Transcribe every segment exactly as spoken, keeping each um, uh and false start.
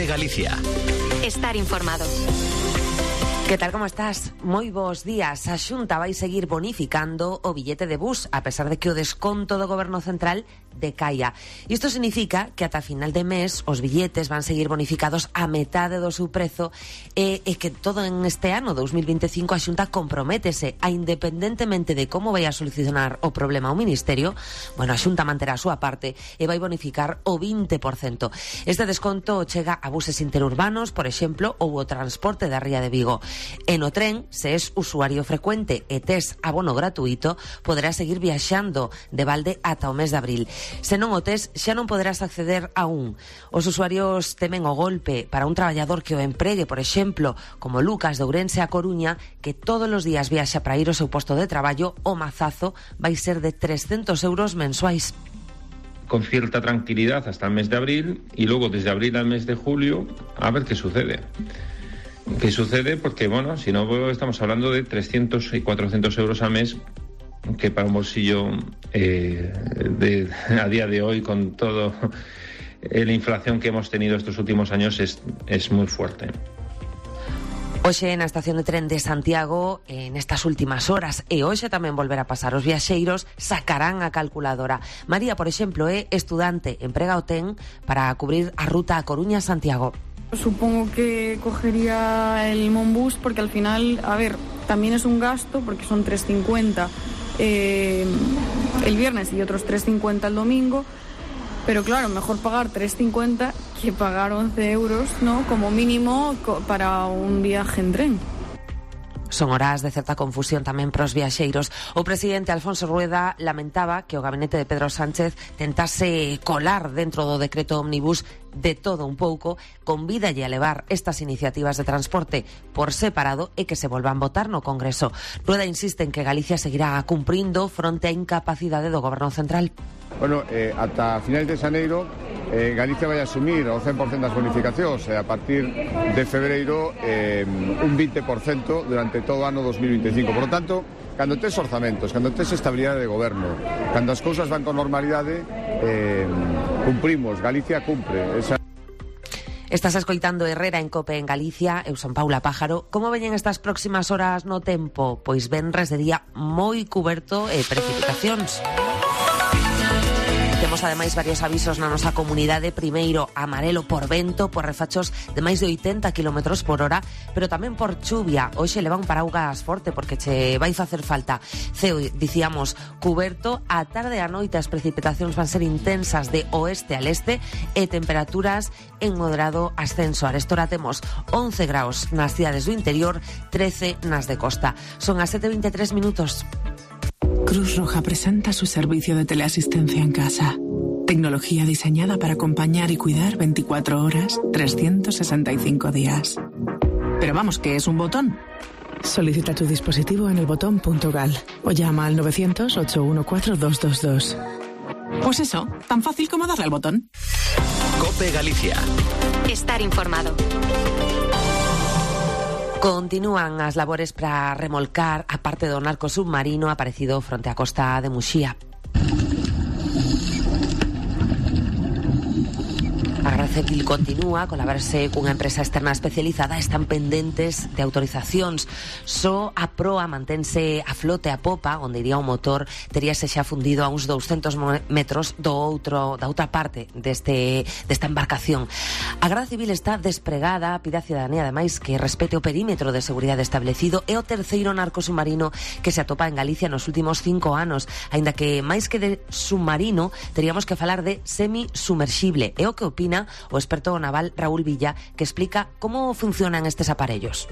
COPE Galicia. Estar informado. Que tal, como estás? Moi bons días. A Xunta vai seguir bonificando o billete de bus, a pesar de que o desconto do Goberno Central decaia. Isto significa que ata final de mes os billetes van seguir bonificados a metade do seu prezo e, e que todo en este ano dos mil veinticinco a Xunta comprométese a, independentemente de como vai a solucionar o problema o Ministerio, bueno, a Xunta manterá a súa parte e vai bonificar o vinte por cento. Este desconto chega a buses interurbanos, por exemplo, ou o transporte da Ría de Vigo. E no tren, se es usuario frecuente e tes abono gratuito, poderás seguir viaxando de balde ata o mes de abril. Se non o tes, xa non poderás acceder a un. Os usuarios temen o golpe para un traballador que o empregue, por exemplo, como Lucas de Ourense a Coruña, que todos os días viaxa para ir ao seu posto de traballo. O mazazo vai ser de trescentos euros mensuais. Con cierta tranquilidad hasta el mes de abril y luego desde abril al mes de julio a ver qué sucede. ¿Qué sucede? Porque, bueno, si no, estamos hablando de trescientos y cuatrocientos euros al mes, que para un bolsillo eh, de, a día de hoy, con toda la inflación que hemos tenido estos últimos años, es, es muy fuerte. Hoxe na estación de tren de Santiago, en estas últimas horas, e hoxe tamén volverá a pasar, os viaxeiros sacarán a calculadora. María, por exemplo, é estudante, emprega o ten para cubrir a ruta a Coruña-Santiago. Supongo que cogería el Monbus porque al final, a ver, también es un gasto porque son tres cincuenta eh, el viernes y otros tres cincuenta el domingo, pero claro, mejor pagar tres cincuenta que pagar once euros, ¿no? Como mínimo para un viaje en tren. Son horas de certa confusión tamén pros viaxeiros. O presidente Alfonso Rueda lamentaba que o gabinete de Pedro Sánchez tentase colar dentro do decreto ómnibus de todo un pouco, convídalle a levar estas iniciativas de transporte por separado e que se volvan votar no Congreso. Rueda insiste en que Galicia seguirá cumprindo fronte á incapacidade do Goberno Central. Bueno, eh, ata finais de xaneiro eh, Galicia vai asumir o cen por cento das bonificacións e a partir de febreiro eh, un vinte por cento durante todo o ano dos mil veinticinco. Por lo tanto, cando tes orzamentos, cando tes estabilidade de goberno, cando as cousas van con normalidade, eh, cumprimos, Galicia cumpre. Esa... Estás escoitando Herrera en COPE en Galicia. Eu son Paula Pájaro. Como veñen estas próximas horas no tempo? Pois venres de día moi cuberto e precipitacións. Temos ademais varios avisos na nosa comunidade. Primeiro, amarelo por vento, por refachos de máis de oitenta kilómetros por hora, pero tamén por chuvia. Hoxe leva un paraugas forte porque che vai facer falta. Ceo, dicíamos, cuberto. A tarde e a noite as precipitacións van ser intensas de oeste al este e temperaturas en moderado ascenso. Arestora temos once graus nas cidades do interior, trece nas de costa. Son as sete e veintitrés minutos. Cruz Roja presenta su servicio de teleasistencia en casa. Tecnología diseñada para acompañar y cuidar veinticuatro horas, trescientos sesenta y cinco días. Pero vamos, ¿qué es un botón? Solicita tu dispositivo en el botón punto gal o llama al novecientos, ochocientos catorce, doscientos veintidós. Pues eso, tan fácil como darle al botón. COPE Galicia. Estar informado. Continúan as labores para remolcar a parte do narco submarino aparecido fronte á costa de Muxía. A Garda Civil continúa a colaborarse cunha empresa externa especializada. Están pendentes de autorizacións. Só a proa mantense a flote a popa, onde iría o motor, teríase xa fundido a uns douscentos metros do outro, da outra parte deste, desta embarcación. A Garda Civil está despregada, pide a cidadanía ademais que respete o perímetro de seguridade establecido. É o terceiro narco submarino que se atopa en Galicia nos últimos cinco anos, aínda que máis que de submarino teríamos que falar de semisumerxible. É o que opina o experto naval Raúl Villa, que explica cómo funcionan estos aparellos.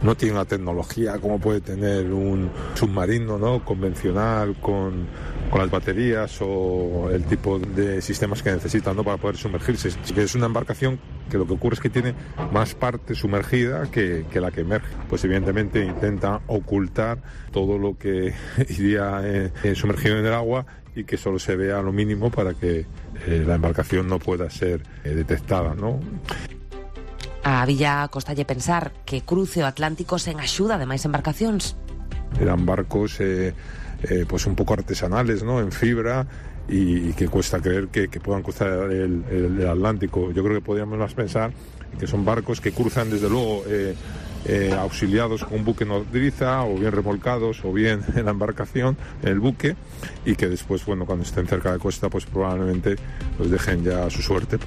No tiene una tecnología como puede tener un submarino, ¿no?, convencional, con, con las baterías o el tipo de sistemas que necesitan, ¿no?, para poder sumergirse. Es una embarcación que lo que ocurre es que tiene más parte sumergida que, que la que emerge. Pues evidentemente intenta ocultar todo lo que iría eh, sumergido en el agua y que solo se vea lo mínimo para que eh, la embarcación no pueda ser eh, detectada, ¿no? A Villa costalle pensar que cruce o Atlántico sen axuda de máis embarcacións. Eran barcos eh, eh, pues un pouco artesanales, ¿no?, en fibra, y, y que cuesta creer que, que puedan cruzar el, el, el Atlántico. Yo creo que podríamos más pensar que son barcos que cruzan desde luego eh, eh, auxiliados con un buque nodriza, o bien remolcados, o bien en la embarcación, en el buque, y que después, bueno, cuando estén cerca de costa, pues probablemente los dejen ya a su suerte.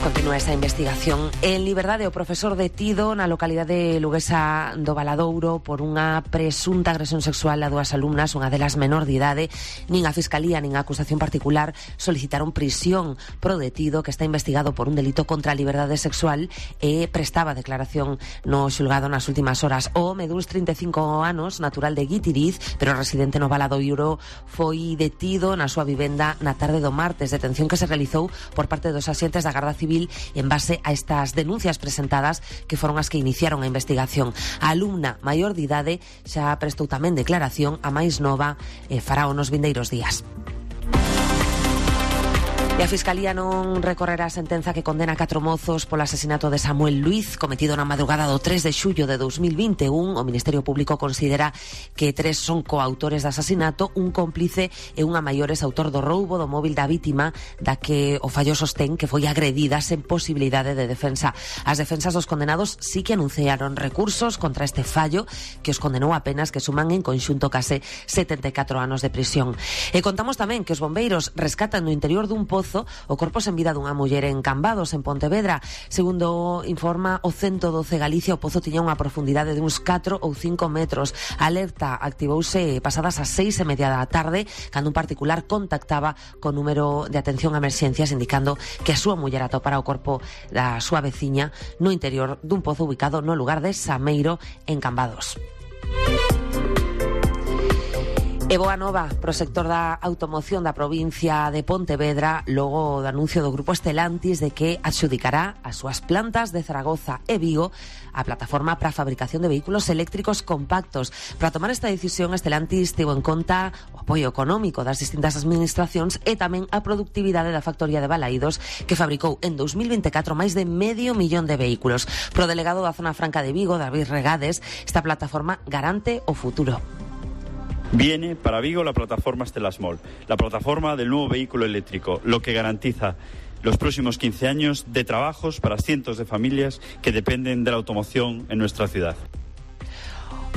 Continúa esta investigación. En liberdade, o profesor detido na localidade luguesa do Valadouro por unha presunta agresión sexual a dúas alumnas, unha delas menor de idade. Nin a Fiscalía nin a acusación particular solicitaron prisión pro detido, que está investigado por un delito contra a liberdade sexual e prestaba declaración no xulgado nas últimas horas. O home duns trinta e cinco anos, natural de Guitiriz, pero residente no Valadouro, foi detido na súa vivenda na tarde do martes, detención que se realizou por parte dos axentes da Garda Civil en base a estas denuncias presentadas, que foron as que iniciaron a investigación. A alumna maior de idade xa prestou tamén declaración, a máis nova e fará nos vindeiros días. E a Fiscalía non recorrerá a sentenza que condena a catro mozos polo asesinato de Samuel Luiz, cometido na madrugada do tres de xullo de dos mil vinte e un. O Ministerio Público considera que tres son coautores do asasinato, un cómplice e unha maiores autor do roubo do móvil da vítima, da que o fallo sostén que foi agredida sen posibilidade de defensa. As defensas dos condenados sí que anunciaron recursos contra este fallo, que os condenou a penas que suman en conxunto case setenta e catro anos de prisión. E contamos tamén que os bombeiros rescatan no interior dun pozo o corpo sen vida dunha muller en Cambados, en Pontevedra. Segundo informa o ciento doce Galicia, o pozo tiña unha profundidade de uns catro ou cinco metros. A alerta activouse pasadas as seis e media da tarde, cando un particular contactaba co número de atención a emerxencias, indicando que a súa muller atopara o corpo da súa veciña no interior dun pozo ubicado no lugar de Sameiro, en Cambados. E boa nova pro sector da automoción da provincia de Pontevedra, logo do anuncio do grupo Stellantis de que adxudicará as súas plantas de Zaragoza e Vigo a plataforma para a fabricación de vehículos eléctricos compactos. Para tomar esta decisión, Stellantis tivo en conta o apoio económico das distintas administracións e tamén a productividade da factoría de Balaídos, que fabricou en dos mil vinte e catro máis de medio millón de vehículos. Pro delegado da Zona Franca de Vigo, David Regades, esta plataforma garante o futuro. Viene para Vigo la plataforma Stellasmol, la plataforma del nuevo vehículo eléctrico, lo que garantiza los próximos quince años de trabajos para cientos de familias que dependen de la automoción en nuestra ciudad.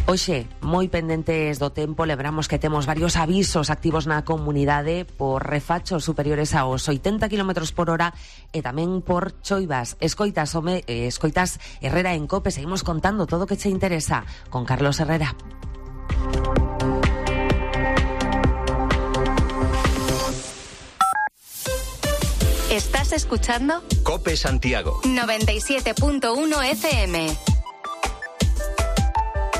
Oxe, moi pendentes do tempo, lembramos que temos varios avisos activos na comunidade por refachos superiores aos oitenta kilómetros por hora e tamén por choivas. Escoitas, home, eh, escoitas Herrera en Cope, seguimos contando todo o que che interesa con Carlos Herrera. ¿Estás escuchando? Cope Santiago noventa y siete punto uno F M.